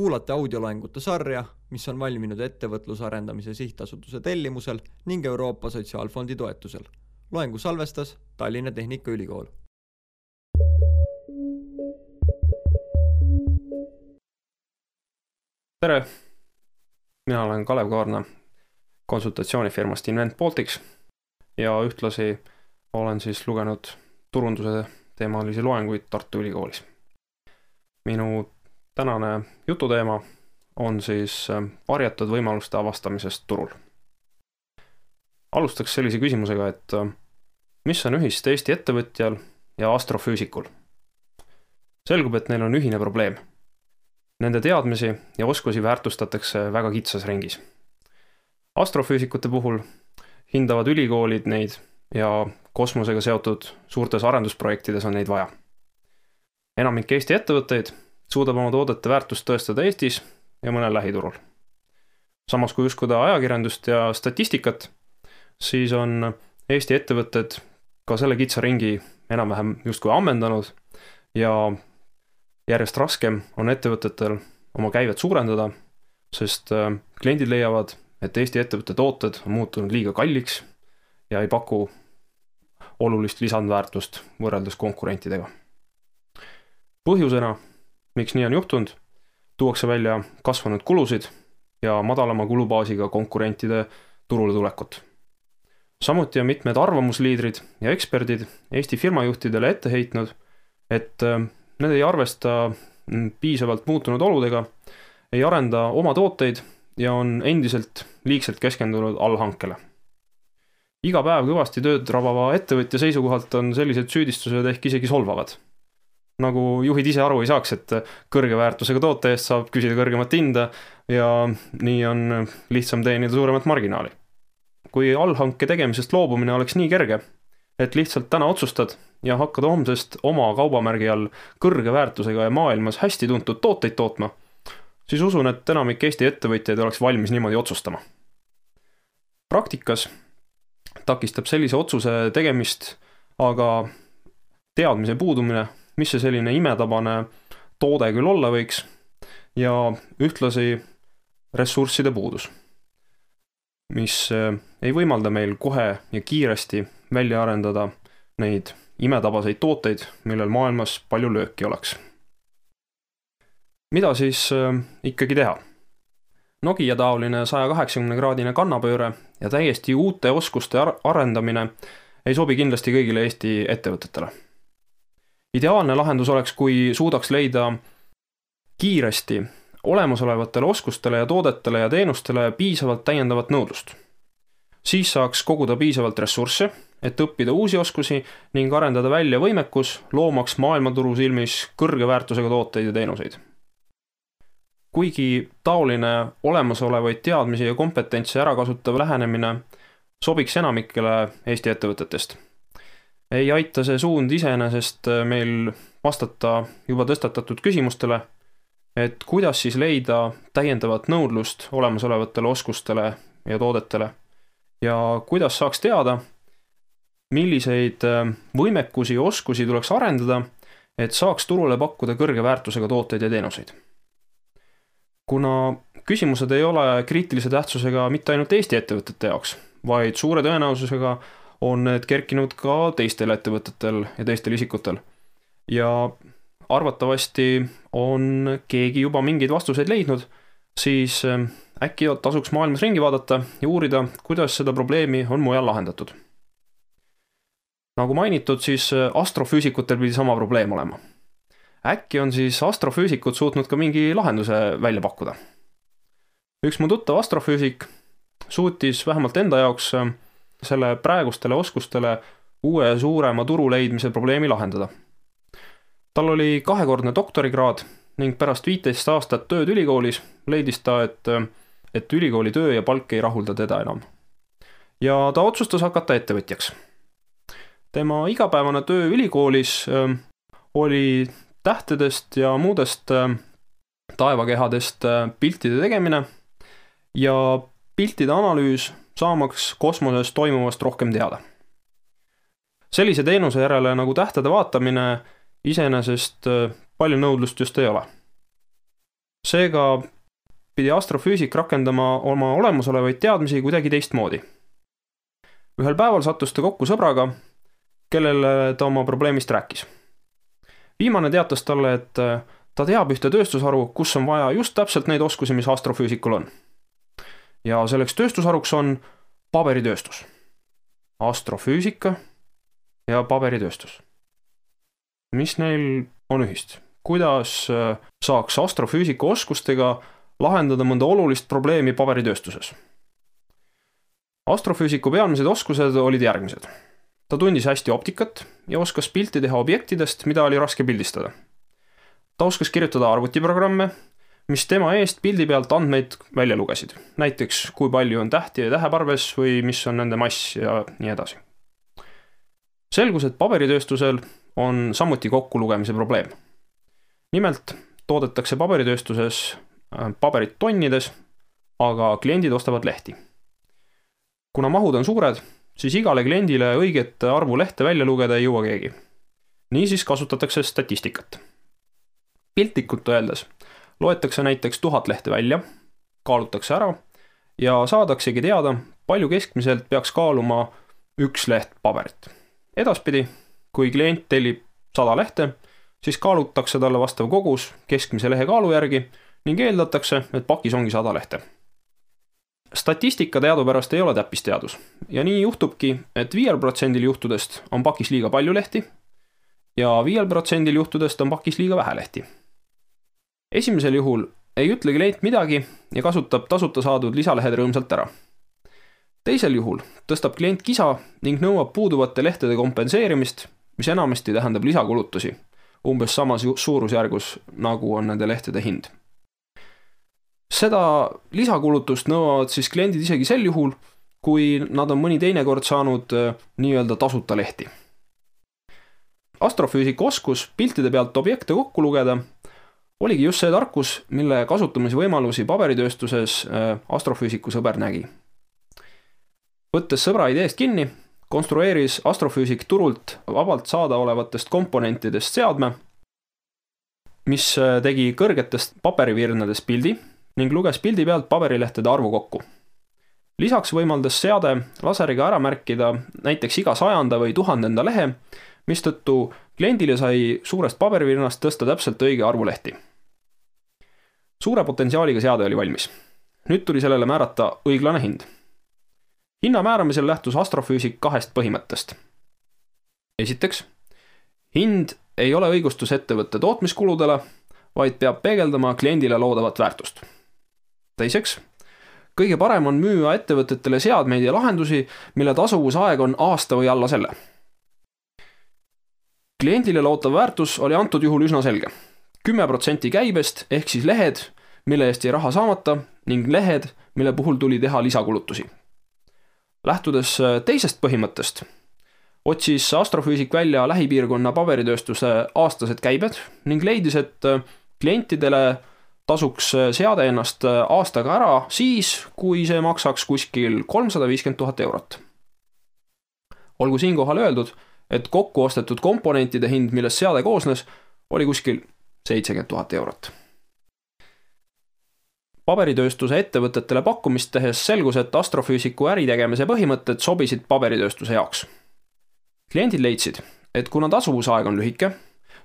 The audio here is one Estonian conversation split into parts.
Kuulate audioloengute sarja, mis on valminud ettevõtlusarendamise sihtasutuse tellimusel ning Euroopa Sotsiaalfondi toetusel. Loengu salvestas Tallinna Tehnikaülikool. Tere! Mina olen Kalev Kaarna konsultatsioonifirmast Invent Baltics ja ühtlasi olen lugenud turunduse teemalisi loenguid Tartu Ülikoolis. Minu tänane jututeema on varjatud võimaluste avastamisest turul. Alustaks sellise küsimusega, et mis on ühist Eesti ettevõtjal ja astrofüüsikul? Selgub, et neil on ühine probleem. Nende teadmisi ja oskusi väärtustatakse väga kitsas ringis. Astrofüüsikute puhul hindavad ülikoolid neid ja kosmosega seotud suurtes arendusprojektides on neid vaja. Enamik Eesti ettevõtteid suudab oma toodete väärtust tõestada Eestis ja mõnel lähiturul. Samas kui uskuda ajakirjandust ja statistikat, siis on Eesti ettevõtted ka selle kitsa ringi enam-vähem justkui ammendanud ja järjest raskem on ettevõtetel oma käivet suurendada, sest kliendid leiavad, et Eesti ettevõtte tooted on muutunud liiga kalliks ja ei paku olulist lisandväärtust võrreldes konkurentidega. Põhjusena, miks nii on juhtunud, tuuakse välja kasvanud kulusid ja madalama kulubaasiga konkurentide turule tulekut. Samuti on mitmed arvamusliidrid ja eksperdid Eesti firmajuhtidele ette heitnud, et need ei arvesta piisavalt muutunud oludega, ei arenda oma tooteid ja on endiselt liigselt keskendunud allhankele. Iga päev kõvasti tööd rabava ettevõtja seisukohalt on sellised süüdistused ehk isegi solvavad. Nagu juhid ise aru ei saaks, et kõrge väärtusega toote eest saab küsida kõrgemat hinda ja nii on lihtsam teenida suuremat marginaali. Kui allhanke tegemisest loobumine oleks nii kerge, et lihtsalt täna otsustad ja hakkad homsest oma kaubamärgi all kõrge väärtusega ja maailmas hästi tuntud tooteid tootma, siis usun, et enamik Eesti ettevõtjaid oleks valmis niimoodi otsustama. Praktikas takistab sellise otsuse tegemist aga teadmise puudumine, mis see selline imetabane toode küll olla võiks ja ühtlasi ressursside puudus, mis ei võimalda meil kohe ja kiiresti välja arendada neid imetabaseid tooteid, millel maailmas palju lööki oleks. Mida ikkagi teha? Nokia-taoline 180-kraadine kannapööre ja täiesti uute oskuste arendamine ei sobi kindlasti kõigile Eesti ettevõtetele. Ideaalne lahendus oleks, kui suudaks leida kiiresti olemasolevatele oskustele ja toodetele ja teenustele piisavalt täiendavat nõudlust. Siis saaks koguda piisavalt ressursse, et õppida uusi oskusi ning arendada välja võimekus, loomaks maailmaturu silmis kõrge väärtusega tooteid ja teenuseid. Kuigi taoline olemasolevaid teadmisi ja kompetentse ärakasutav lähenemine sobiks enamikele Eesti ettevõtetest, ei aita see suund iseenesest meil vastata juba tõstatatud küsimustele, et kuidas leida täiendavat nõudlust olemasolevatele oskustele ja toodetele ja kuidas saaks teada, milliseid võimekusi ja oskusi tuleks arendada, et saaks turule pakkuda kõrge väärtusega tooteid ja teenuseid. Kuna küsimused ei ole kriitilise tähtsusega mitte ainult Eesti ettevõtete jaoks, vaid suure tõenäosusega on need kerkinud ka teistel ettevõtetel ja teistel isikutel. Ja arvatavasti on keegi juba mingeid vastuseid leidnud, siis äkki tasuks maailmas ringi vaadata ja uurida, kuidas seda probleemi on mujal lahendatud. Nagu mainitud, siis astrofüüsikutel pidi sama probleem olema. Äkki on astrofüüsikud suutnud ka mingi lahenduse välja pakkuda. Üks mu tuttav astrofüüsik suutis vähemalt enda jaoks selle praegustele oskustele uue suurema turu leidmise probleemi lahendada. Tal oli 2-kordne doktorikraad ning pärast 15 aastat tööd ülikoolis leidis ta, et ülikooli töö ja palk ei rahulda teda enam. Ja ta otsustas hakata ettevõtjaks. Tema igapäevane töö ülikoolis oli tähtedest ja muudest taevakehadest piltide tegemine ja piltide analüüs saamaks kosmoses toimuvast rohkem teada. Sellise teenuse järele nagu tähtede vaatamine iseenesest palju nõudlust just ei ole. Seega pidi astrofüüsik rakendama oma olemasolevaid teadmisi kuidagi teistmoodi. Ühel päeval sattus ta kokku sõbraga, kellele ta oma probleemist rääkis. Viimane teatas talle, et ta teab ühte tööstusharu, kus on vaja just täpselt neid oskusi, mis astrofüüsikul on. Ja selleks tööstusharuks on paberitööstus. Astrofüüsika ja paberitööstus. Mis neil on ühist? Kuidas saaks astrofüüsika oskustega lahendada mõnda olulist probleemi paberitööstuses? Astrofüüsiku pealmised oskused olid järgmised. Ta tundis hästi optikat ja oskas pilti teha objektidest, mida oli raske pildistada. Ta oskas kirjutada arvutiprogramme, mis tema eest pildi pealt andmeid välja lugesid. Näiteks, kui palju on tähti ja täheparves või mis on nende mass ja nii edasi. Selgus, et paberitööstusel on samuti kokkulugemise probleem. Nimelt toodetakse paberitööstuses paberit tonnides, aga kliendid ostavad lehti. Kuna mahud on suured, siis igale kliendile õiget arvu lehte välja lugeda ei jõua keegi. Niisiis kasutatakse statistikat. Piltlikult öeldes loetakse näiteks 1000 lehte välja, kaalutakse ära ja saadaksegi teada, palju keskmiselt peaks kaaluma üks leht paberit. Edaspidi, kui klient tellib 100 lehte, siis kaalutakse talle vastav kogus keskmise lehe kaalu järgi ning eeldatakse, et pakis ongi 100 lehte. Statistika teadupärast ei ole täppisteadus ja nii juhtubki, et 5% juhtudest on pakis liiga palju lehti ja 5% juhtudest on pakis liiga vähe lehti. Esimesel juhul ei ütle klient midagi ja kasutab tasuta saadud lisalehed rõõmsalt ära. Teisel juhul tõstab klient kisa ning nõuab puuduvate lehtede kompenseerimist, mis enamasti tähendab lisakulutusi, umbes samas suurusjärgus nagu on nende lehtede hind. Seda lisakulutust nõuavad siis kliendid isegi sel juhul, kui nad on mõni teinekord saanud nii-öelda tasuta lehti. Astrofüüsiku oskus piltide pealt objekte kokku lugeda oligi just see tarkus, mille kasutamise võimalusi paberitööstuses astrofüüsiku sõber nägi. Võttes sõbra ideest kinni, konstrueeris astrofüüsik turult vabalt saada olevatest komponentidest seadme, mis tegi kõrgetest paberivirnadest pildi ning luges pildi pealt paberilehtede arvu kokku. Lisaks võimaldas seade laseriga ära märkida näiteks iga 100. või 1000. lehe, mistõttu kliendile sai suurest paberivirnast tõsta täpselt õige arvu lehti. Suure potentsiaaliga seade oli valmis. Nüüd tuli sellele määrata õiglane hind. Hinna määramisel lähtus astrofüüsik 2 põhimõttest. Esiteks, hind ei ole õigustus ettevõtte tootmiskuludele, vaid peab peegeldama kliendile loodavat väärtust. Teiseks, kõige parem on müüa ettevõtetele seadmeid ja lahendusi, mille tasuvusaeg on aasta või alla selle. Kliendile lootav väärtus oli antud juhul üsna selge. 10% käibest ehk siis lehed, mille eest jäi raha saamata ning lehed, mille puhul tuli teha lisakulutusi. Lähtudes teisest põhimõttest, otsis astrofüüsik välja lähipiirkonna paberitööstuse aastased käibed ning leidis, et klientidele tasuks seade ennast aastaga ära siis, kui see maksaks kuskil 350 000 eurot. Olgu siinkohal öeldud, et kokku ostetud komponentide hind, millest seade koosnes, oli kuskil 70 000 eurot. Paberitööstuse ettevõtetele pakkumist tehes selgus, et astrofüüsiku äritegemise põhimõtted sobisid paberitööstuse jaoks. Kliendid leidsid, et kuna tasuvusaeg on lühike,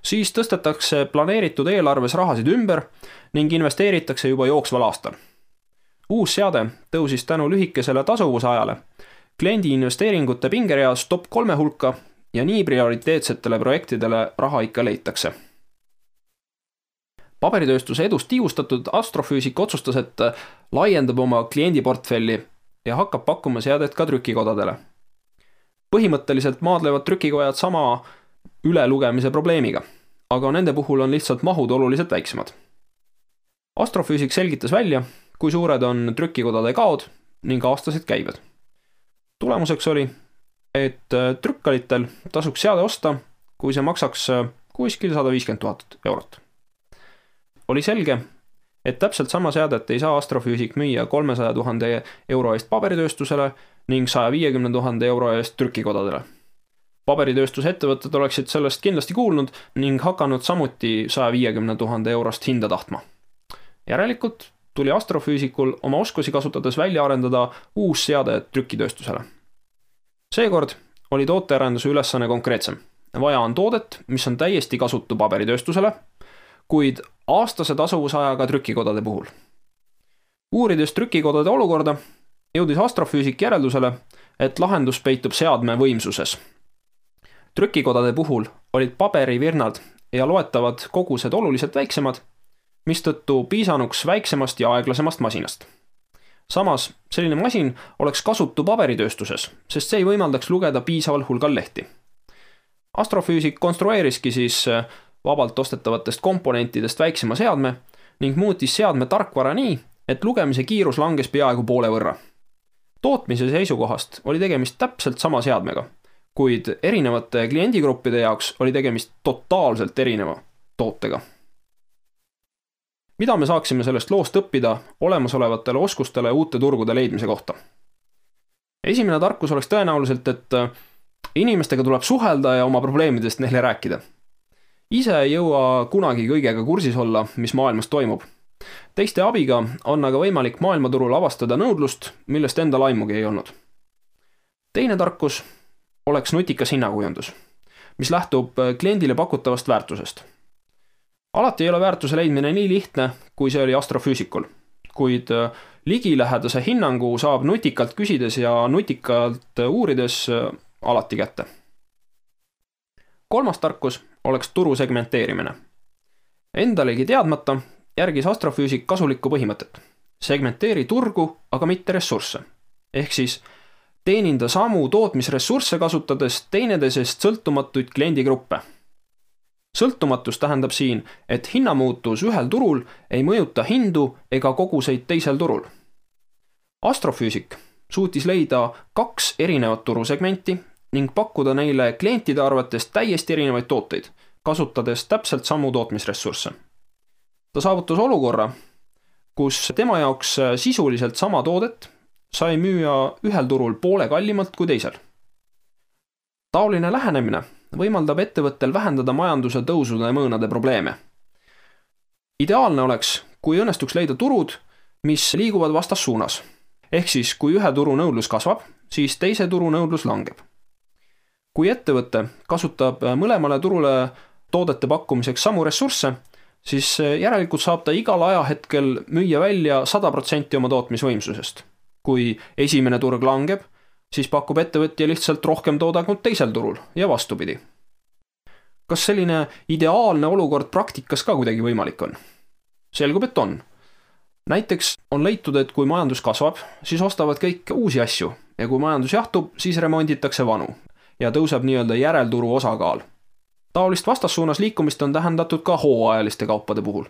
siis tõstetakse planeeritud eelarves rahasid ümber ning investeeritakse juba jooksval aastal. Uus seade tõusis tänu lühikesele tasuvusajale kliendi investeeringute pingereas top 3 hulka ja nii prioriteetsetele projektidele raha ikka leitakse. Paberitööstuse edust tiivustatud astrofüüsik otsustas, et laiendab oma kliendiportfelli ja hakkab pakkuma seadet ka trükikodadele. Põhimõtteliselt maadlevad trükikojad sama ülelugemise probleemiga, aga nende puhul on lihtsalt mahud oluliselt väiksemad. Astrofüüsik selgitas välja, kui suured on trükikodade kaod ning aastased käibed. Tulemuseks oli, et trükkalitel tasuks seade osta, kui see maksaks kuskil 150 000 eurot. Oli selge, et täpselt sama seadet ei saa astrofüüsik müüa 300 000 euro eest paberitööstusele ning 150 000 euro eest trükikodadele. Paberitööstuse ettevõtted oleksid sellest kindlasti kuulnud ning hakanud samuti 150 000 eurost hinda tahtma. Järelikult tuli astrofüüsikul oma oskusi kasutades välja arendada uus seade trükitööstusele. Seekord oli tootearenduse ülesanne konkreetsem. Vaja on toodet, mis on täiesti kasutu paberitööstusele, kuid aastase tasuvusajaga trükikodade puhul. Uurides trükikodade olukorda, jõudis astrofüüsik järeldusele, et lahendus peitub seadme võimsuses. Trükikodade puhul olid paberivirnad ja loetavad kogused oluliselt väiksemad, mistõttu piisanuks väiksemast ja aeglasemast masinast. Samas, selline masin oleks kasutu paberitööstuses, sest see ei võimaldaks lugeda piisaval hulgal lehti. Astrofüüsik konstrueeriski siis vabalt ostetavatest komponentidest väiksema seadme ning muutis seadme tarkvara nii, et lugemise kiirus langes peaaegu poole võrra. Tootmise seisukohast oli tegemist täpselt sama seadmega, kuid erinevate kliendigruppide jaoks oli tegemist totaalselt erineva tootega. Mida me saaksime sellest loost õppida olemasolevatele oskustele uute turgude leidmise kohta? Esimene tarkus oleks tõenäoliselt, et inimestega tuleb suhelda ja oma probleemidest neile rääkida. Ise ei jõua kunagi kõigega kursis olla, mis maailmas toimub. Teiste abiga on aga võimalik maailmaturul avastada nõudlust, millest enda laimugi ei olnud. Teine tarkus oleks nutikas hinnakujundus, mis lähtub kliendile pakutavast väärtusest. Alati ei ole väärtuse leidmine nii lihtne, kui see oli astrofüüsikul, kuid ligilähedase hinnangu saab nutikalt küsides ja nutikalt uurides alati kätte. Kolmas tarkus oleks turu segmenteerimine. Endalegi teadmata järgis astrofüüsik kasulikku põhimõtet. Segmenteeri turgu, aga mitte ressursse. Ehk siis teeninda samu tootmisressursse kasutades teineteisest sõltumatuid kliendigruppe. Sõltumatus tähendab siin, et hinnamuutus ühel turul ei mõjuta hindu ega koguseid teisel turul. Astrofüüsik suutis leida 2 erinevat turusegmenti ning pakkuda neile klientide arvates täiesti erinevaid tooteid, kasutades täpselt samu tootmisressursse. Ta saavutas olukorra, kus tema jaoks sisuliselt sama toodet sai müüa ühel turul poole kallimalt kui teisel. Taoline lähenemine võimaldab ettevõttel vähendada majanduse tõusude mõõnade probleeme. Ideaalne oleks, kui õnnestuks leida turud, mis liiguvad vastassuunas. Ehk siis, kui ühe turu nõudlus kasvab, siis teise turu nõudlus langeb. Kui ettevõte kasutab mõlemale turule toodete pakkumiseks samu ressursse, siis järelikult saab ta igal ajahetkel müüa välja 100% oma tootmisvõimsusest. Kui esimene turg langeb, siis pakub ettevõtja lihtsalt rohkem toodangut teisel turul ja vastupidi. Kas selline ideaalne olukord praktikas ka kuidagi võimalik on? Selgub, et on. Näiteks on leitud, et kui majandus kasvab, siis ostavad kõik uusi asju ja kui majandus jahtub, siis remonditakse vanu ja tõuseb nii-öelda järelturu osakaal. Taolist vastassuunas liikumist on tähendatud ka hooajaliste kaupade puhul.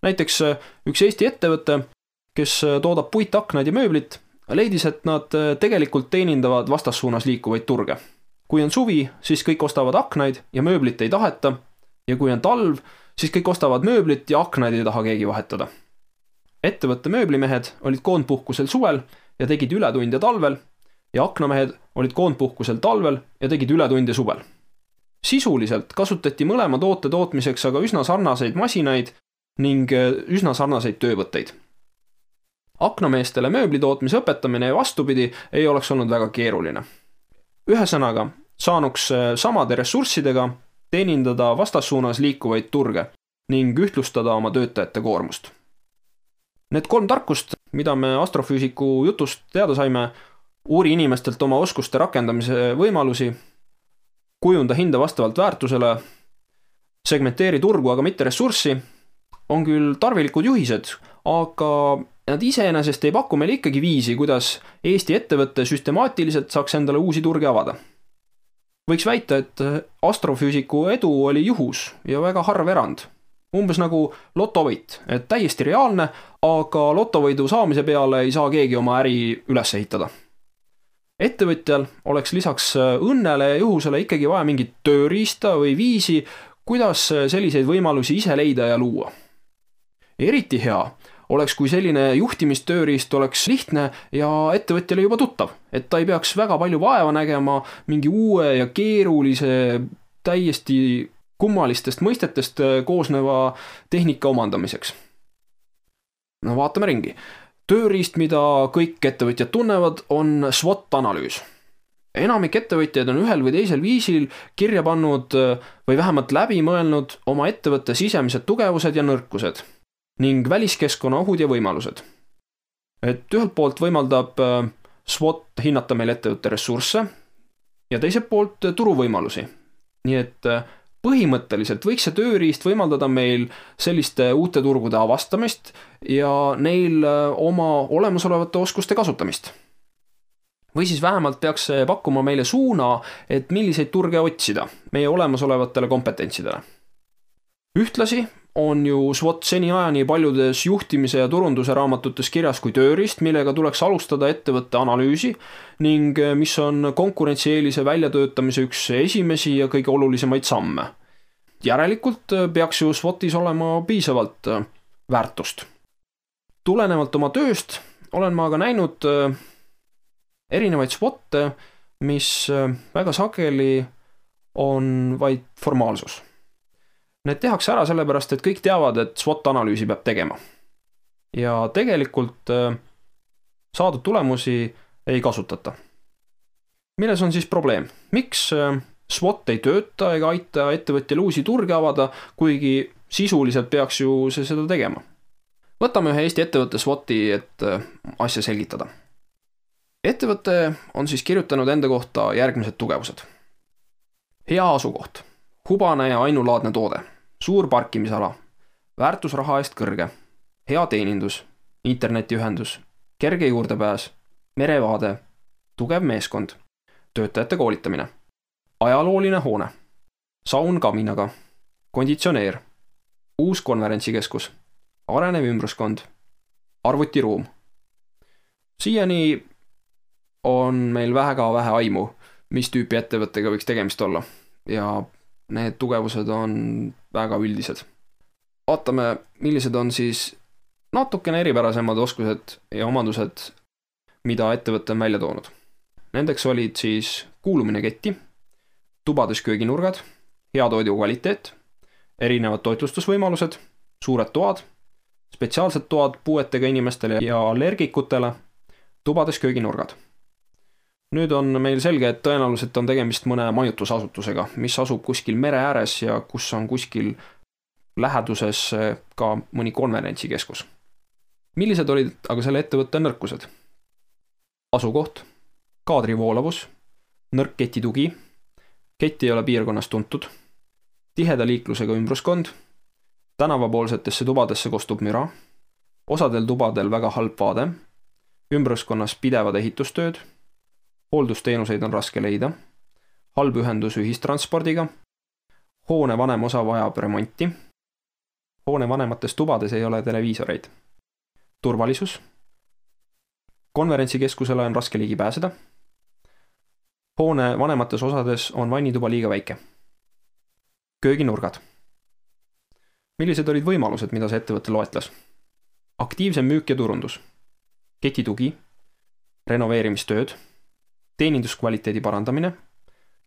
Näiteks üks Eesti ettevõte, kes toodab puitaknaid ja mööblit, leidis, et nad tegelikult teenindavad vastassuunas liikuvaid turge. Kui on suvi, siis kõik ostavad aknaid ja mööblit ei taheta ja kui on talv, siis kõik ostavad mööblit ja aknaid ei taha keegi vahetada. Ettevõtte mööblimehed olid koondpuhkusel suvel ja tegid ületunde talvel ja aknamehed olid koondpuhkusel talvel ja tegid ületunde suvel. Sisuliselt kasutati mõlema toote tootmiseks aga üsna sarnaseid masinaid ning üsna sarnaseid töövõtteid. Aknameestele mööblitootmise õpetamine ja vastupidi ei oleks olnud väga keeruline. Ühesõnaga, saanuks samade ressurssidega teenindada vastassuunas liikuvaid turge ning ühtlustada oma töötajate koormust. Need 3 tarkust, mida me astrofüüsiku jutust teada saime, uuri inimestelt oma oskuste rakendamise võimalusi, kujunda hinda vastavalt väärtusele, segmenteeri turgu, aga mitte ressurssi, on küll tarvilikud juhised, aga nad iseenesest ei paku meile ikkagi viisi, kuidas Eesti ettevõtte süstemaatiliselt saaks endale uusi turge avada. Võiks väita, et astrofüüsiku edu oli juhus ja väga harv erand. Umbes nagu lotovõit, et täiesti reaalne, aga lotovõidu saamise peale ei saa keegi oma äri üles ehitada. Ettevõtjal oleks lisaks õnnele ja juhusele ikkagi vaja mingit tööriista või viisi, kuidas selliseid võimalusi ise leida ja luua. Eriti hea oleks, kui selline juhtimistööriist oleks lihtne ja ettevõtjale juba tuttav, et ta ei peaks väga palju vaeva nägema mingi uue ja keerulise, täiesti kummalistest mõistetest koosneva tehnika omandamiseks. No vaatame ringi. Tööriist, mida kõik ettevõtjad tunnevad, on SWOT-analüüs. Enamik ettevõtjaid on ühel või teisel viisil kirja pannud või vähemalt läbi mõelnud oma ettevõtte sisemised tugevused ja nõrkused ning väliskeskkonna ohud ja võimalused. Et ühelt poolt võimaldab SWOT hinnata meil ettevõtte ressursse ja teiselt poolt turuvõimalusi. Nii et põhimõtteliselt võiks see tööriist võimaldada meil selliste uute turgude avastamist ja neil oma olemasolevate oskuste kasutamist. Või siis vähemalt peaks see pakkuma meile suuna, et milliseid turge otsida meie olemasolevatele kompetentsidele. Ühtlasi on ju SWOT seniajani paljudes juhtimise ja turunduse raamatutes kirjas kui tööriist, millega tuleks alustada ettevõtte analüüsi ning mis on konkurentsieelise väljatöötamise üks esimesi ja kõige olulisemaid samme. Järelikult peaks ju SWOTis olema piisavalt väärtust. Tulenevalt oma tööst olen ma aga näinud erinevaid SWOT-e, mis väga sageli on vaid formaalsus. Need tehakse ära sellepärast, et kõik teavad, et SWOT-analüüsi peab tegema. Ja tegelikult saadud tulemusi ei kasutata. Milles on siis probleem? Miks SWOT ei tööta ega aita ettevõtjal uusi turge avada, kuigi sisuliselt peaks ju see seda tegema? Võtame ühe Eesti ettevõtte SWOT-i, et asja selgitada. Ettevõte on siis kirjutanud enda kohta järgmised tugevused. Hea asukoht, hubane ja ainulaadne toode, suur parkimisala, väärtus raha eest kõrge, hea teenindus, internetiühendus, kerge juurdepääs, merevaade, tugev meeskond, töötajate koolitamine, ajalooline hoone, saun kaminaga, konditsioneer, uus konverentsikeskus, arenev ümbruskond, arvutiruum. Siiani on meil väga vähe aimu, mis tüüpi ettevõttega võiks tegemist olla ja need tugevused on väga üldised. Vaatame, millised on siis natukene eripärasemad oskused ja omadused, mida ettevõtte on välja toonud. Nendeks olid siis kuulumine ketti, tubades kööginurgad, hea toidu kvaliteet, erinevad toitlustusvõimalused, suured toad, spetsiaalsed toad puuetega inimestele ja allergikutele, tubades kööginurgad. Nüüd on meil selge, et tõenäoliselt on tegemist mõne majutusasutusega, mis asub kuskil mere ääres ja kus on kuskil läheduses ka mõni konverentsikeskus. Millised olid aga selle ettevõtte nõrkused? Asukoht, kaadri voolavus, nõrk ketitugi, kett ei ole piirkonnas tuntud, tiheda liiklusega ümbruskond, tänavapoolsetesse tubadesse kostub müra, osadel tubadel väga halb vaade, ümbruskonnas pidevad ehitustööd, hooldusteenuseid on raske leida, halb ühendus ühistranspordiga, hoone vanem osa vajab remonti, hoone vanemates tubades ei ole televiisoreid, turvalisus, konverentsikeskusele on raske ligi pääseda, hoone vanemates osades on vannituba liiga väike, kööginurgad. Millised olid võimalused, mida see ettevõte loetles? Aktiivsem müük ja turundus, ketitugi, renoveerimistööd, teeninduskvaliteedi parandamine,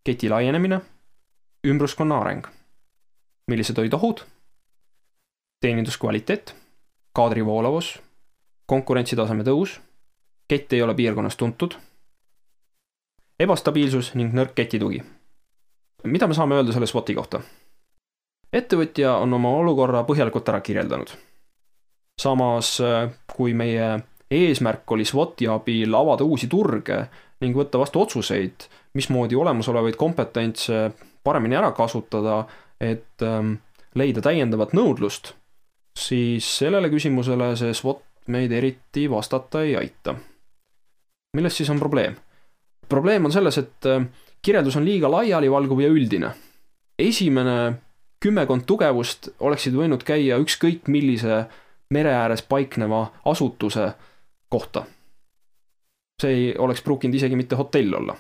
keti laienemine, ümbruskonna areng. Millised olid ohud? Teeninduskvaliteet, kaadri voolavus, konkurentsitaseme tõus, kett ei ole piirkonnas tuntud, ebastabiilsus ning nõrk ketitugi. Mida me saame öelda selle SWOT-i kohta? Ettevõtja on oma olukorra põhjalikult ära kirjeldanud. Samas, kui meie eesmärk oli SWOT-i abil avada uusi turge ning võtta vastu otsuseid, mismoodi olemasolevaid kompetentse paremini ära kasutada, et leida täiendavat nõudlust, siis sellele küsimusele see SWOT meid eriti vastata ei aita. Milles siis on probleem? Probleem on selles, et kirjeldus on liiga laialivalguv ja üldine. Esimene 10 tugevust oleksid võinud käia ükskõik millise mere ääres paikneva asutuse kohta. See ei oleks pruukinud isegi mitte hotell olla.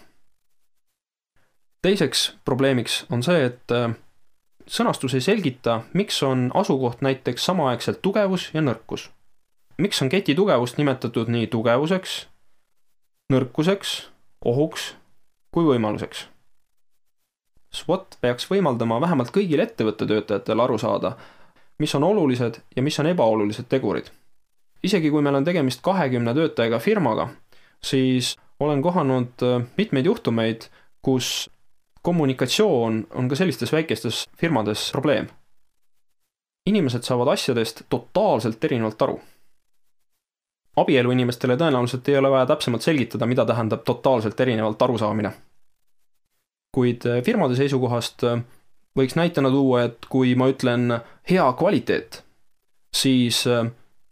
Teiseks probleemiks on see, et sõnastus ei selgita, miks on asukoht näiteks samaaegselt tugevus ja nõrkus. Miks on keti tugevust nimetatud nii tugevuseks, nõrkuseks, ohuks kui võimaluseks? SWOT peaks võimaldama vähemalt kõigil ettevõtte töötajatel aru saada, mis on olulised ja mis on ebaolulised tegurid. isegi kui meil on tegemist 20 töötajaga firmaga, siis olen kohanud mitmeid juhtumeid, kus kommunikatsioon on ka sellistes väikestes firmades probleem. Inimesed saavad asjadest totaalselt erinevalt aru. Abielu inimestele tõenäoliselt ei ole vaja täpsemalt selgitada, mida tähendab totaalselt erinevalt arusaamine. Kuid firmade seisukohast võiks näitena tuua, et kui ma ütlen hea kvaliteet, siis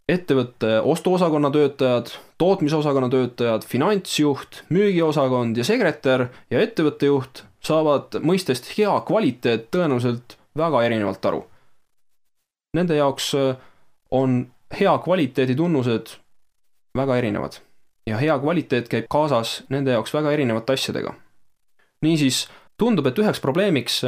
ettevõtte ostuosakonna töötajad, tootmisosakonna töötajad, finantsjuht, müügiosakond ja sekretär ja ettevõtte juht saavad mõistest hea kvaliteet tõenäoliselt väga erinevalt aru. Nende jaoks on hea kvaliteedi tunnused väga erinevad ja hea kvaliteet käib kaasas nende jaoks väga erinevate asjadega. Niisiis tundub, et üheks probleemiks,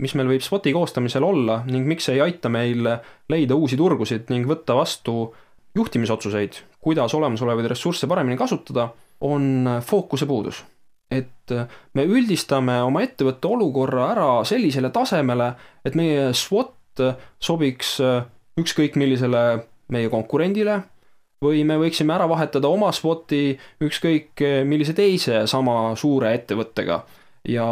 mis meil võib SWOT-i koostamisel olla ning miks ei aita meil leida uusi turgusid ning võtta vastu juhtimisotsuseid, kuidas olemasolevaid ressursse paremini kasutada, on fookuse puudus. Et me üldistame oma ettevõtte olukorra ära sellisele tasemele, et meie SWOT sobiks ükskõik millisele meie konkurendile või me võiksime ära vahetada oma SWOT-i ükskõik millise teise sama suure ettevõttega ja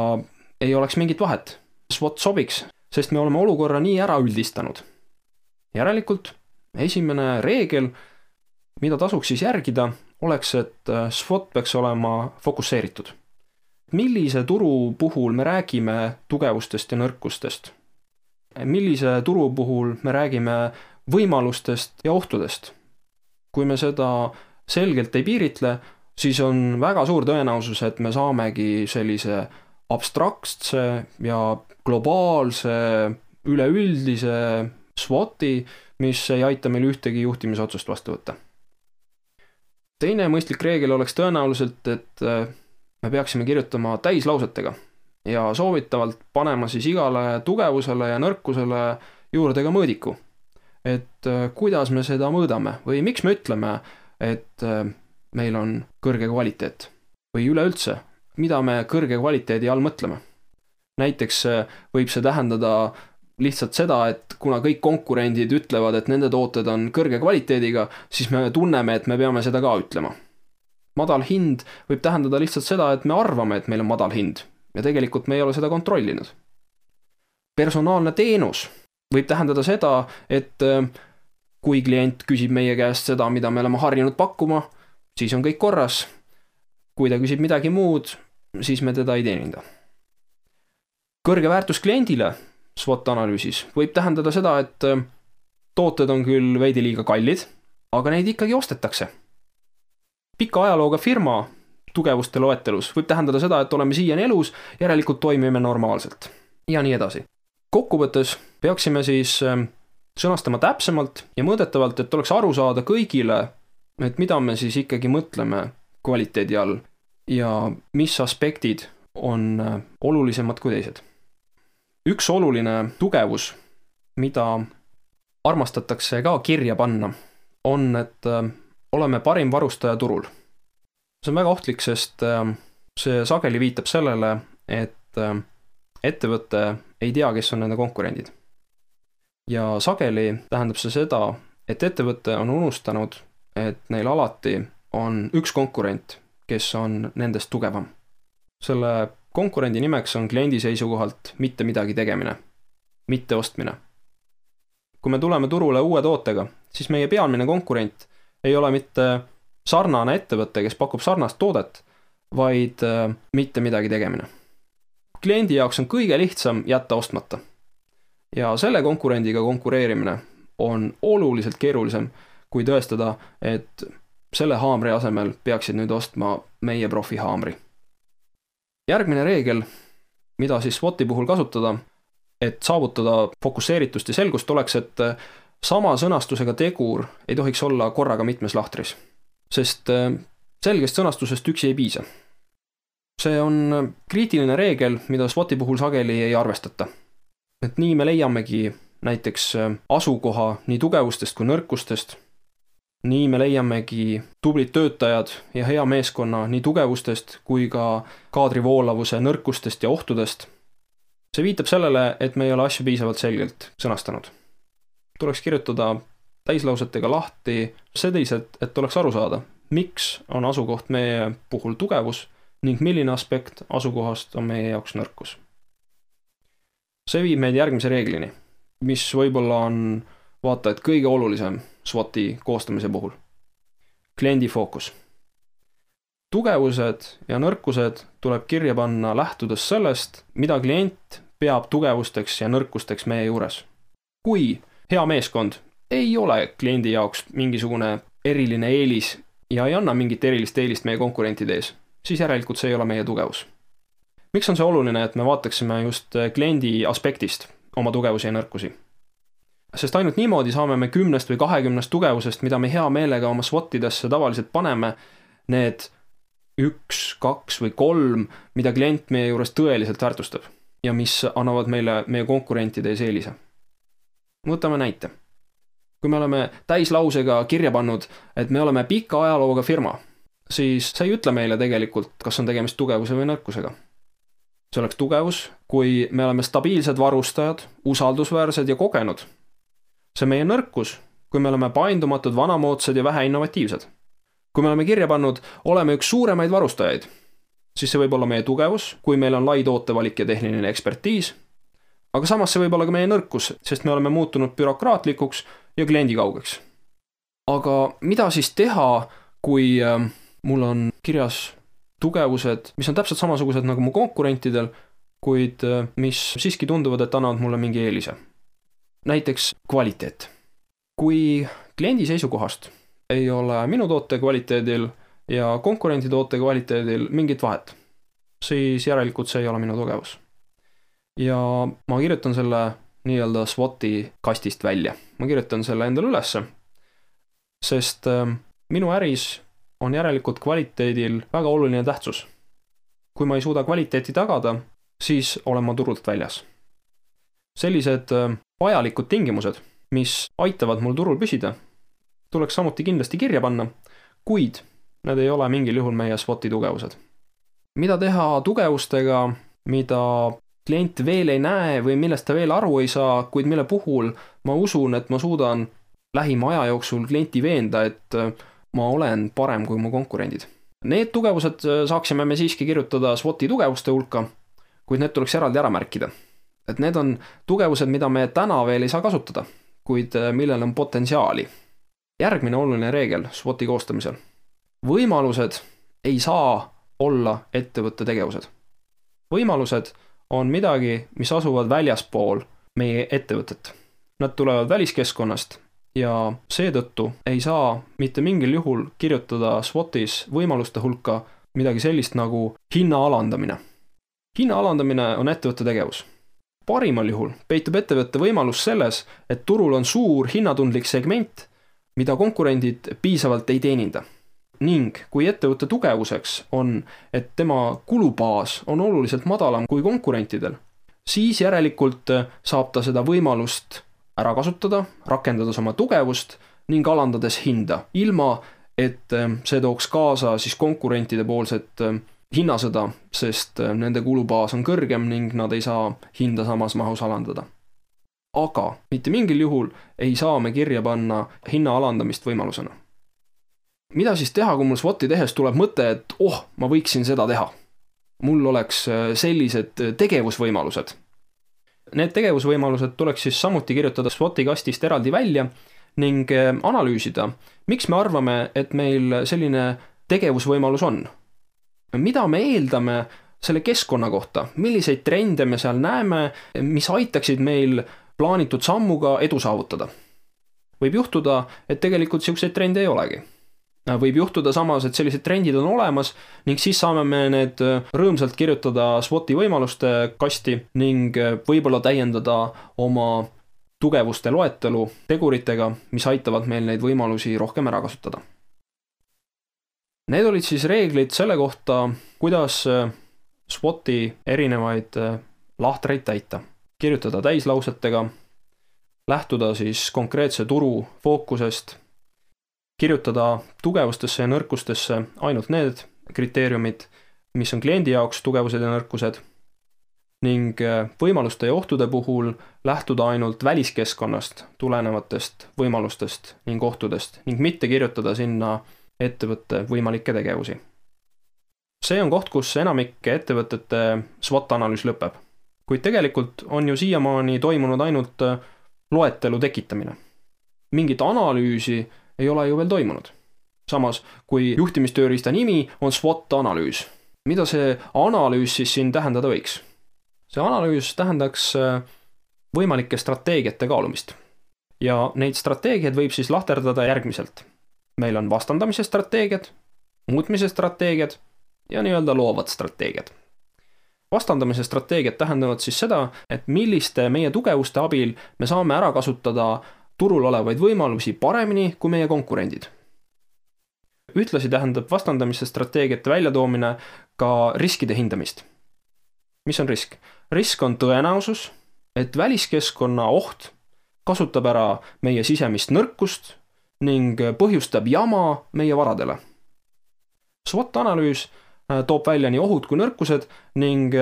ei oleks mingit vahet. SWOT sobiks, sest me oleme olukorra nii ära üldistanud. Järelikult esimene reegel, mida tasuks siis järgida, oleks, et SWOT peaks olema fokusseeritud. Millise turu puhul me räägime tugevustest ja nõrkustest? Millise turu puhul me räägime võimalustest ja ohtudest? Kui me seda selgelt ei piiritle, siis on väga suur tõenäosus, et me saamegi sellise abstraktse ja globaalse üleüldise SWOT-i, mis ei aita meil ühtegi juhtimisotsust vastu võtta. Teine mõistlik reegel oleks tõenäoliselt, et me peaksime kirjutama täislausetega ja soovitavalt panema siis igale tugevusele ja nõrkusele juurde ka mõõdiku. Et kuidas me seda mõõdame või miks me ütleme, et meil on kõrge kvaliteet või üleüldse, mida me kõrge kvaliteedi all mõtleme. Näiteks võib see tähendada lihtsalt seda, et kuna kõik konkurendid ütlevad, et nende tooted on kõrge kvaliteediga, siis me tunneme, et me peame seda ka ütlema. Madal hind võib tähendada lihtsalt seda, et me arvame, et meil on madal hind ja tegelikult me ei ole seda kontrollinud. Personaalne teenus võib tähendada seda, et kui klient küsib meie käest seda, mida me oleme harjunud pakkuma, siis on kõik korras. Kui ta küsib midagi muud, siis me teda ei teeninda. Kõrge väärtus kliendile SWOT-analüüsis võib tähendada seda, et tooted on küll veidi liiga kallid, aga neid ikkagi ostetakse. Pika ajalooga firma tugevuste loetelus võib tähendada seda, et oleme siiani elus, järelikult toimime normaalselt. Ja nii edasi. Kokkuvõttes peaksime siis sõnastama täpsemalt ja mõõdetavalt, et oleks aru saada kõigile, et mida me siis ikkagi mõtleme kvaliteedi all ja mis aspektid on olulisemad kui teised. Üks oluline tugevus, mida armastatakse ka kirja panna, on, et oleme parim varustaja turul. See on väga ohtlik, sest see sageli viitab sellele, et ettevõte ei tea, kes on nende konkurendid. Ja sageli tähendab see seda, et ettevõte on unustanud, et neil alati on üks konkurent, kes on nendest tugevam. Selle konkurendi nimeks on kliendi seisukohalt mitte midagi tegemine, mitte ostmine. Kui me tuleme turule uue tootega, siis meie pealmine konkurent ei ole mitte sarnane ettevõte, kes pakub sarnast toodet, vaid mitte midagi tegemine. Kliendi jaoks on kõige lihtsam jätta ostmata. Ja selle konkurendiga konkureerimine on oluliselt keerulisem, kui tõestada, et selle haamri asemel peaksid nüüd ostma meie profi haamri. Järgmine reegel, mida siis SWOT-i puhul kasutada, et saavutada fokusseeritust ja selgust, oleks, et sama sõnastusega tegur ei tohiks olla korraga mitmes lahtris, sest selgest sõnastusest üksi ei piisa. See on kriitiline reegel, mida SWOT-i puhul sageli ei arvestata. Et nii me leiamegi näiteks asukoha nii tugevustest kui nõrkustest, nii me leiamegi tublid töötajad ja hea meeskonna nii tugevustest kui ka kaadrivoolavuse nõrkustest ja ohtudest. See viitab sellele, et me ei ole asju piisavalt selgelt sõnastanud. Tuleks kirjutada täislausetega lahti selliselt, et oleks aru saada, miks on asukoht meie puhul tugevus ning milline aspekt asukohast on meie jaoks nõrkus. See viib meid järgmise reeglini, mis võib-olla on vaata, et kõige olulisem SWOT-i koostamise puhul. Kliendi fookus. Tugevused ja nõrkused tuleb kirja panna lähtudes sellest, mida klient peab tugevusteks ja nõrkusteks meie juures. Kui hea meeskond ei ole kliendi jaoks mingisugune eriline eelis ja ei anna mingit erilist eelist meie konkurentide ees, siis järelikult see ei ole meie tugevus. Miks on see oluline, et me vaataksime just kliendi aspektist oma tugevusi ja nõrkusi? Sest ainult niimoodi saame me 10 või 20 tugevusest, mida me hea meelega oma SWOT-idesse tavaliselt paneme, need 1, 2 või 3, mida klient meie juures tõeliselt väärtustab ja mis annavad meile meie konkurentide ees eelise. Võtame näite. Kui me oleme täislausega kirja pannud, et me oleme pika ajalooga firma, siis see ei ütle meile tegelikult, kas on tegemist tugevuse või nõrkusega. See oleks tugevus, kui me oleme stabiilsed varustajad, usaldusväärsed ja kogenud. See meie nõrkus, kui me oleme paindumatud, vanamoodsad ja vähe innovatiivsed. Kui me oleme kirja pannud, oleme üks suuremaid varustajaid, siis see võib olla meie tugevus, kui meil on lai tootevalik ja tehniline ekspertiis, aga samas see võib olla ka meie nõrkus, sest me oleme muutunud bürokraatlikuks ja kliendikaugeks. Aga mida siis teha, kui mul on kirjas tugevused, mis on täpselt samasugused nagu mu konkurentidel, kuid mis siiski tunduvad, et annavad mulle mingi eelise? Näiteks kvaliteet. Kui kliendi seisukohast ei ole minu toote kvaliteedil ja konkurendi toote kvaliteedil mingit vahet, siis järelikult see ei ole minu tugevus. Ja ma kirjutan selle nii-öelda SWOT-i kastist välja. Ma kirjutan selle endale ülesse, sest minu äris on järelikult kvaliteedil väga oluline tähtsus. Kui ma ei suuda kvaliteeti tagada, siis olen ma turult väljas. Sellised vajalikud tingimused, mis aitavad mul turul püsida, tuleks samuti kindlasti kirja panna, kuid need ei ole mingil juhul meie SWOT-i tugevused. Mida teha tugevustega, mida klient veel ei näe või millest ta veel aru ei saa, kuid mille puhul ma usun, et ma suudan lähima aja jooksul klienti veenda, et ma olen parem kui mu konkurendid. Need tugevused saaksime me siiski kirjutada SWOT-i tugevuste hulka, kuid need tuleks eraldi ära märkida. Et need on tugevused, mida me täna veel ei saa kasutada, kuid millel on potentsiaali. Järgmine oluline reegel SWOT-i koostamisel. Võimalused ei saa olla ettevõtte tegevused. Võimalused on midagi, mis asuvad väljaspool meie ettevõtet. Nad tulevad väliskeskkonnast ja seetõttu ei saa mitte mingil juhul kirjutada SWOT-is võimaluste hulka midagi sellist nagu hinna alandamine. Hinna alandamine on ettevõtte tegevus. Parimal juhul peitub ettevõtte võimalus selles, et turul on suur hinnatundlik segment, mida konkurendid piisavalt ei teeninda. Ning kui ettevõtte tugevuseks on, et tema kulubaas on oluliselt madalam kui konkurentidel, siis järelikult saab ta seda võimalust ära kasutada, rakendades oma tugevust ning alandades hinda, ilma et see tooks kaasa siis konkurentide poolset hinnasõda, sest nende kulubaas on kõrgem ning nad ei saa hinda samas mahus alandada. Aga mitte mingil juhul ei saa me kirja panna hinna alandamist võimalusena. Mida siis teha, kui mul SWOT-i tehes tuleb mõte, et ma võiksin seda teha? Mul oleks sellised tegevusvõimalused. Need tegevusvõimalused tuleks siis samuti kirjutada SWOT-i kastist eraldi välja ning analüüsida, miks me arvame, et meil selline tegevusvõimalus on. Mida me eeldame selle keskkonna kohta, milliseid trende me seal näeme, mis aitaksid meil plaanitud sammuga edu saavutada. Võib juhtuda, et tegelikult selliseid trende ei olegi. Võib juhtuda samas, et sellised trendid on olemas ning siis saame me need rõõmsalt kirjutada SWOT-i võimaluste kasti ning võib-olla täiendada oma tugevuste loetelu teguritega, mis aitavad meil neid võimalusi rohkem ära kasutada. Need olid siis reeglid selle kohta, kuidas SWOT-i erinevaid lahtreid täita. Kirjutada täislausetega, lähtuda siis konkreetse turu fookusest, kirjutada tugevustesse ja nõrkustesse ainult need kriteeriumid, mis on kliendi jaoks tugevused ja nõrkused ning võimaluste ja ohtude puhul lähtuda ainult väliskeskkonnast tulenevatest võimalustest ning ohtudest ning mitte kirjutada sinna ettevõtte võimalikke tegevusi. See on koht, kus enamike ettevõtete SWOT-analüüs lõpeb. Kuid tegelikult on ju siiamaani toimunud ainult loetelu tekitamine. Mingit analüüsi ei ole ju veel toimunud. Samas, kui juhtimistööriista nimi on SWOT-analüüs, mida see analüüs siis siin tähendada võiks? See analüüs tähendaks võimalike strateegiate kaalumist. Ja neid strateegiaid võib siis lahterdada järgmiselt. Meil on vastandamise strateegiad, muutmise strateegiad ja nii-öelda loovad strateegiad. Vastandamise strateegiad tähendavad siis seda, et milliste meie tugevuste abil me saame ära kasutada turul olevaid võimalusi paremini kui meie konkurendid. Ühtlasi tähendab vastandamise strateegiate väljatoomine ka riskide hindamist. Mis on risk? Risk on tõenäosus, et väliskeskkonna oht kasutab ära meie sisemist nõrkust ning põhjustab jama meie varadele. SWOT-analüüs toob välja nii ohud kui nõrkused ning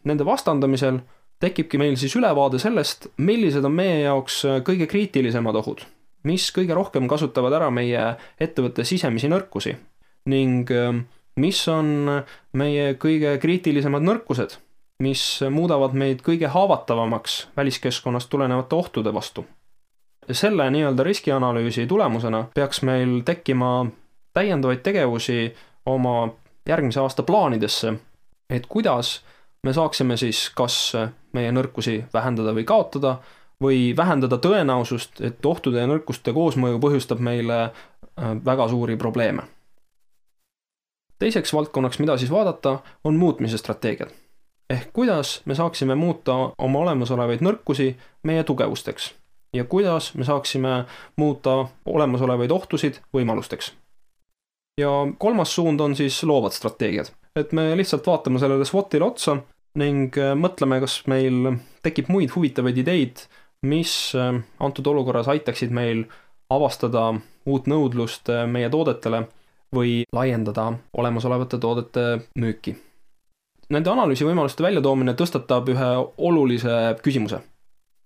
nende vastandamisel tekibki meil siis ülevaade sellest, millised on meie jaoks kõige kriitilisemad ohud, mis kõige rohkem kasutavad ära meie ettevõtte sisemisi nõrkusi ning mis on meie kõige kriitilisemad nõrkused, mis muudavad meid kõige haavatavamaks väliskeskkonnast tulenevate ohtude vastu. Selle nii-öelda riskianalüüsi tulemusena peaks meil tekkima täiendavaid tegevusi oma järgmise aasta plaanidesse, et kuidas me saaksime siis kas meie nõrkusi vähendada või kaotada või vähendada tõenäosust, et ohtude ja nõrkuste koosmõju põhjustab meile väga suuri probleeme. Teiseks valdkonnaks, mida siis vaadata, on muutmise strateegiad. Ehk kuidas me saaksime muuta oma olemasolevaid nõrkusi meie tugevusteks ja kuidas me saaksime muuta olemasolevaid ohtusid võimalusteks. Ja kolmas suund on siis loovad strateegiad. Et me lihtsalt vaatame sellele SWOT-ile otsa ning mõtleme, kas meil tekib muid huvitavaid ideid, mis antud olukorras aitaksid meil avastada uut nõudlust meie toodetele või laiendada olemasolevate toodete müüki. Nende analüüsi võimaluste väljatoomine tõstatab ühe olulise küsimuse.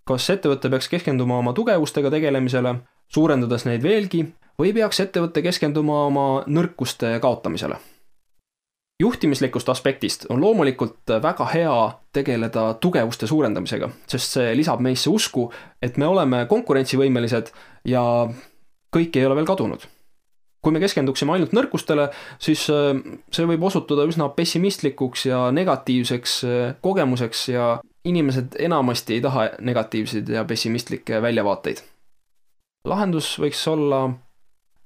Kas ettevõte peaks keskenduma oma tugevustega tegelemisele, suurendades neid veelgi, või peaks ettevõte keskenduma oma nõrkuste kaotamisele? Juhtimislikust aspektist on loomulikult väga hea tegeleda tugevuste suurendamisega, sest see lisab meisse usku, et me oleme konkurentsivõimelised ja kõik ei ole veel kadunud. Kui me keskenduksime ainult nõrkustele, siis see võib osutuda üsna pessimistlikuks ja negatiivseks kogemuseks ja inimesed enamasti ei taha negatiivseid ja pessimistlikke väljavaateid. Lahendus võiks olla,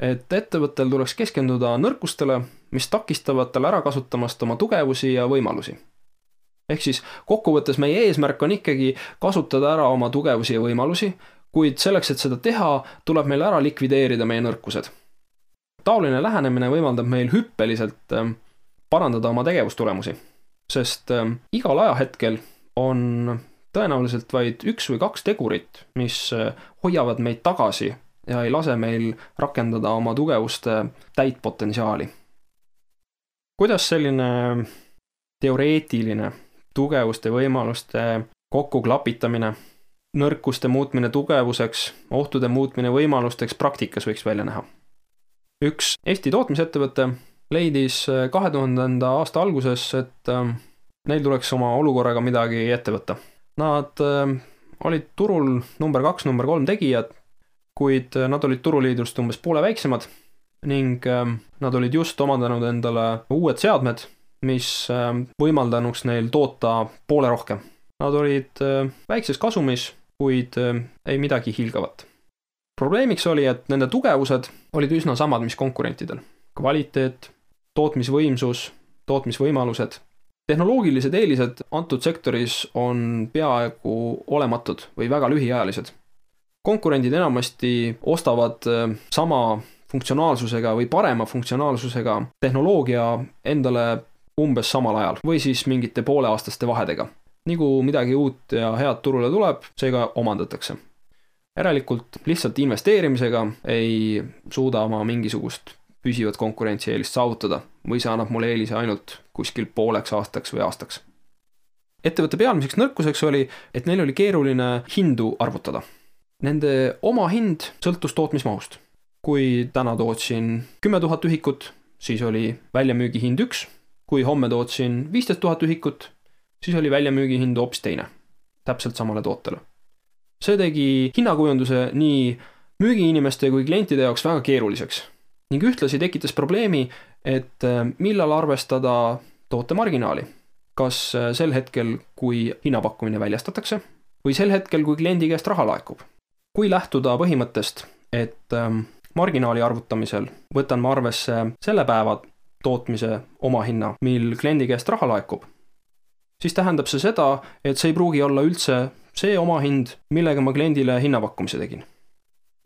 et ettevõttel tuleks keskenduda nõrkustele, mis takistavad tal ära kasutamast oma tugevusi ja võimalusi. Ehk siis kokkuvõttes meie eesmärk on ikkagi kasutada ära oma tugevusi ja võimalusi, kuid selleks, et seda teha, tuleb meil ära likvideerida meie nõrkused. Taoline lähenemine võimaldab meil hüppeliselt parandada oma tegevustulemusi, sest igal ajahetkel on tõenäoliselt vaid 1 või 2 tegurit, mis hoiavad meid tagasi ja ei lase meil rakendada oma tugevuste täit potentsiaali. Kuidas selline teoreetiline tugevuste võimaluste kokkuklapitamine, nõrkuste muutmine tugevuseks, ohtude muutmine võimalusteks praktikas võiks välja näha? Üks Eesti tootmisettevõte leidis 2000. aasta alguses, et neil tuleks oma olukorraga midagi ette võtta. Nad olid turul number 2, number 3 tegijad, kuid nad olid turuliidrust umbes poole väiksemad ning nad olid just omandanud endale uued seadmed, mis võimaldanuks neil toota poole rohkem. Nad olid väikses kasumis, kuid ei midagi hiilgavat. Probleemiks oli, et nende tugevused olid üsna samad, mis konkurentidel. Kvaliteet, tootmisvõimsus, tootmisvõimalused. Tehnoloogilised eelised antud sektoris on peaaegu olematud või väga lühiajalised. Konkurendid enamasti ostavad sama funktsionaalsusega või parema funktsionaalsusega tehnoloogia endale umbes samal ajal või siis mingite pooleaastaste vahedega. Nagu midagi uut ja head turule tuleb, seega omandatakse. Järelikult lihtsalt investeerimisega ei suuda ma mingisugust püsivat konkurentsieelist saavutada või see annab mulle eelise ainult kuskil pooleks aastaks või aastaks. ettevõtte pealmiseks nõrkuseks oli, et neil oli keeruline hindu arvutada. Nende oma hind sõltus tootmismahust. Kui täna tootsin 10 000 ühikut, siis oli väljamüügi hind 1. Kui homme tootsin 15 000 ühikut, siis oli väljamüügi hind hoopis teine, täpselt samale tootele. See tegi hinnakujunduse nii müügiinimeste kui klientide jaoks väga keeruliseks ning ühtlasi tekitas probleemi, et millal arvestada toote marginaali. Kas sel hetkel, kui hinnapakkumine väljastatakse või sel hetkel, kui kliendi käest raha laekub. Kui lähtuda põhimõttest, et marginaali arvutamisel võtan ma arvesse selle päeva tootmise omahinna, mil kliendi käest raha laekub, siis tähendab see seda, et see ei pruugi olla üldse see omahind, millega ma kliendile hinnapakkumise tegin.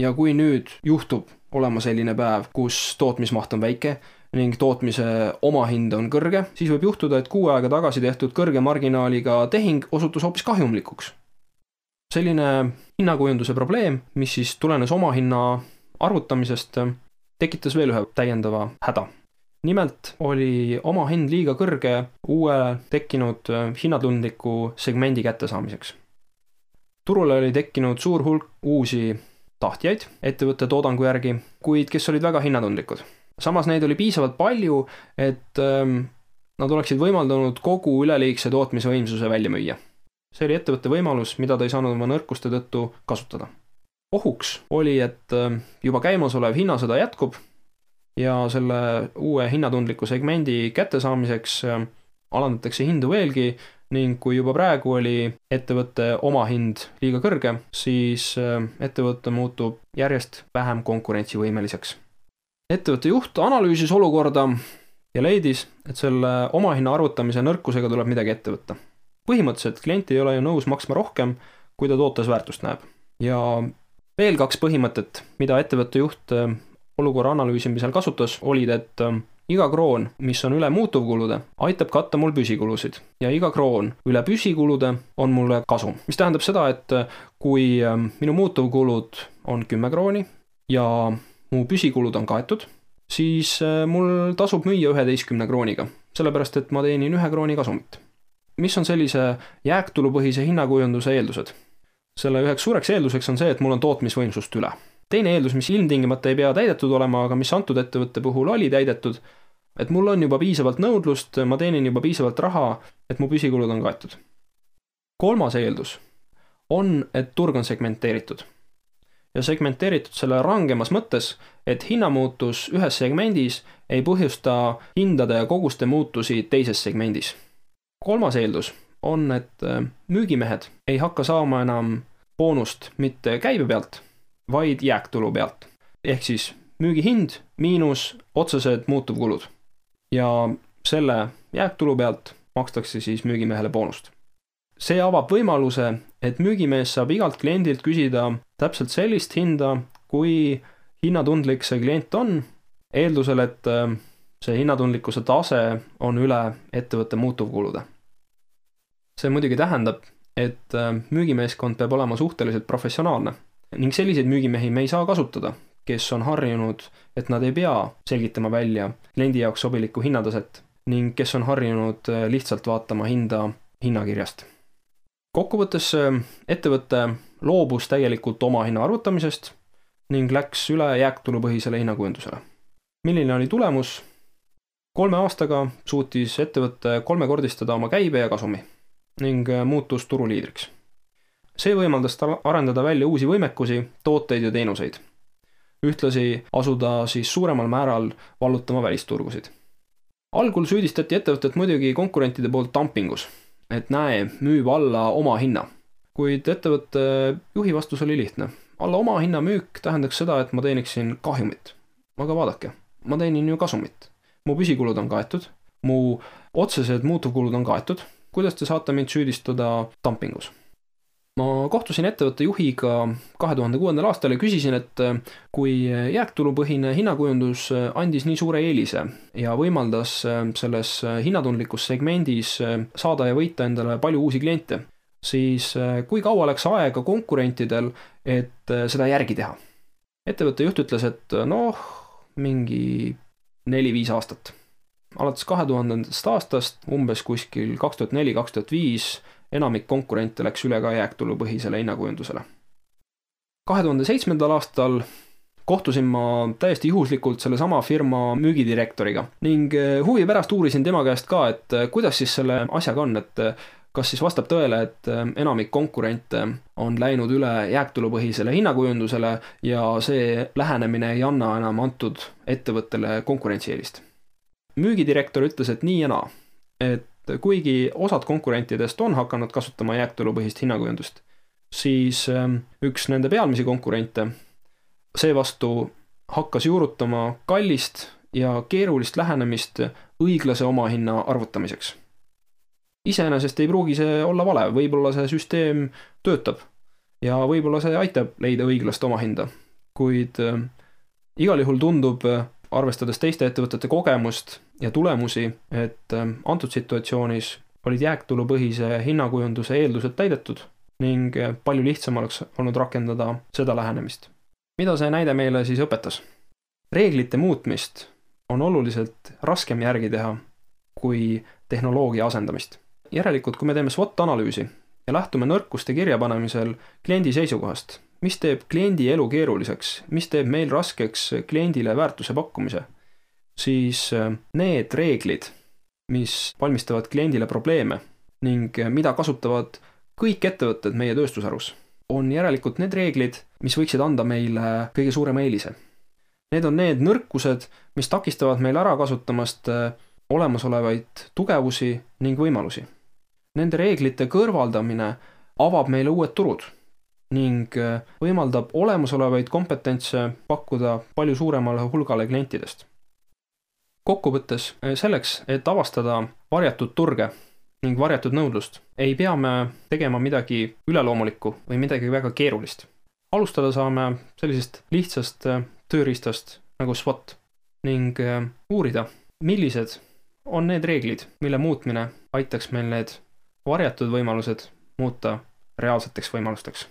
Ja kui nüüd juhtub olema selline päev, kus tootmismaht on väike ning tootmise omahind on kõrge, siis võib juhtuda, et 6 aega tagasi tehtud kõrge marginaaliga tehing osutus hoopis kahjumlikuks. Selline hinnakujunduse probleem, mis siis tulenes omahinna arvutamisest, tekitas veel ühe täiendava häda. Nimelt oli omahind liiga kõrge uue tekkinud hinnatundliku segmendi kättesaamiseks. Turule oli tekkinud suur hulk uusi tahtjaid ettevõtte toodangu järgi, kuid kes olid väga hinnatundlikud. Samas neid oli piisavalt palju, et nad oleksid võimaldanud kogu üleliigse tootmisvõimsuse välja müüa. See oli ettevõtte võimalus, mida ta ei saanud oma nõrkuste tõttu kasutada. Ohuks oli, et juba käimasolev hinnasõda jätkub ja selle uue hinnatundliku segmendi kättesaamiseks alandatakse hindu veelgi ning kui juba praegu oli ettevõtte omahind liiga kõrge, siis ettevõte muutub järjest vähem konkurentsivõimeliseks. Ettevõtte juht analüüsis olukorda ja leidis, et selle omahinna arvutamise nõrkusega tuleb midagi ette võtta. Põhimõtteliselt klient ei ole ju nõus maksma rohkem, kui ta tootes väärtust näeb. Ja veel 2 põhimõtet, mida ettevõtte juht olukorra analüüsimisel kasutas, olid, et iga kroon, mis on üle muutuvkulude, aitab katta mul püsikulusid ja iga kroon üle püsikulude on mulle kasum. Mis tähendab seda, et kui minu muutuvkulud on 10 krooni ja mu püsikulud on kaetud, siis mul tasub müüa 11 krooniga, sellepärast et ma teenin 1 krooni kasumit. Mis on sellise jääktulupõhise hinnakujunduse eeldused? Selle üheks suureks eelduseks on see, et mul on tootmisvõimsust üle. Teine eeldus, mis ilmtingimata ei pea täidetud olema, aga mis antud ettevõtte puhul oli täidetud, et mul on juba piisavalt nõudlust, ma teenin juba piisavalt raha, et mu püsikulud on kaetud. 3. eeldus on, et turg on segmenteeritud. Ja segmenteeritud selle rangemas mõttes, et hinnamuutus ühes segmendis ei põhjusta hindade ja koguste muutusi teises segmendis. 3. eeldus on, et müügimehed ei hakka saama enam boonust mitte käibe pealt, vaid jääktulu pealt. Ehk siis müügihind miinus otsesed muutuvkulud. Ja selle jääktulu pealt makstakse siis müügimehele boonust. See avab võimaluse, et müügimees saab igalt kliendilt küsida täpselt sellist hinda, kui hinnatundlik see klient on, eeldusel, et see hinnatundlikkuse tase on üle ettevõtte muutuvkulude. See muidugi tähendab, et müügimeeskond peab olema suhteliselt professionaalne ning selliseid müügimehi me ei saa kasutada, kes on harjunud, et nad ei pea selgitama välja kliendi jaoks sobilikku hinnataset ning kes on harjunud lihtsalt vaatama hinda hinnakirjast. Kokkuvõttes ettevõte loobus täielikult oma hinna arvutamisest ning läks üle jääktulupõhisele hinnakujundusele. Milline oli tulemus? 3 aastaga suutis ettevõte 3-kordistada oma käibe ja kasumi ning muutus turuliidriks. See võimaldas arendada välja uusi võimekusi, tooteid ja teenuseid. Ühtlasi asuda siis suuremal määral vallutama välisturgusid. Algul süüdistati ettevõtet muidugi konkurentide poolt dumpingus, et näe, müüb alla oma hinna. Kuid ettevõtte juhi vastus oli lihtne. Alla oma hinna müük tähendaks seda, et ma teeniksin kahjumit. Aga vaadake, ma teenin ju kasumit. Mu püsikulud on kaetud, mu otsesed muutuvkulud on kaetud. Kuidas te saate mind süüdistada dumpingus? Ma kohtusin ettevõtte juhiga 2006. aastal ja küsisin, et kui jääktulupõhine hinnakujundus andis nii suure eelise ja võimaldas selles hinnatundlikus segmendis saada ja võita endale palju uusi kliente, siis kui kaua läks aega konkurentidel, et seda järgi teha? Ettevõtte juht ütles, et mingi 4-5 aastat. alates 2000. aastast, umbes kuskil 2004-2005, enamik konkurente läks üle ka jääktulupõhisele hinnakujundusele. 2007. aastal kohtusin ma täiesti juhuslikult selle sama firma müügidirektoriga ning huvi pärast uurisin tema käest ka, et kuidas siis selle asjaga on, et kas siis vastab tõele, et enamik konkurente on läinud üle jääktulupõhisele hinnakujundusele ja see lähenemine ei anna enam antud ettevõttele konkurentsieelist. Müügidirektor ütles, et nii ja naa, et kuigi osad konkurentidest on hakanud kasutama jääktulupõhist hinnakujundust, siis üks nende pealmisi konkurente seevastu hakkas juurutama kallist ja keerulist lähenemist õiglase omahinna arvutamiseks. Iseenesest ei pruugi see olla vale, võib-olla see süsteem töötab ja võib-olla see aitab leida õiglast omahinda, kuid igal juhul tundub, arvestades teiste ettevõtete kogemust ja tulemusi, et antud situatsioonis olid jääktulupõhise hinnakujunduse eeldused täidetud ning palju lihtsam oleks olnud rakendada seda lähenemist. Mida see näide meile siis õpetas? Reeglite muutmist on oluliselt raskem järgi teha kui tehnoloogia asendamist. Järelikult, kui me teeme SWOT-analüüsi ja lähtume nõrkuste kirjapanemisel kliendi seisukohast, mis teeb kliendi elu keeruliseks, mis teeb meil raskeks kliendile väärtuse pakkumise, siis need reeglid, mis valmistavad kliendile probleeme ning mida kasutavad kõik ettevõtted meie tööstusharus, on järelikult need reeglid, mis võiksid anda meile kõige suurema eelise. Need on need nõrkused, mis takistavad meil ära kasutamast olemasolevaid tugevusi ning võimalusi. Nende reeglite kõrvaldamine avab meile uued turud ning võimaldab olemasolevaid kompetentse pakkuda palju suuremale hulgale klientidest. Kokkuvõttes selleks, et avastada varjatud turge ning varjatud nõudlust, ei pea me tegema midagi üleloomulikku või midagi väga keerulist. Alustada saame sellisest lihtsast tööriistast nagu SWOT ning uurida, millised on need reeglid, mille muutmine aitaks meil need varjatud võimalused muuta reaalseteks võimalusteks.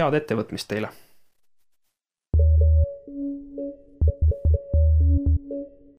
Head ettevõtmist teile!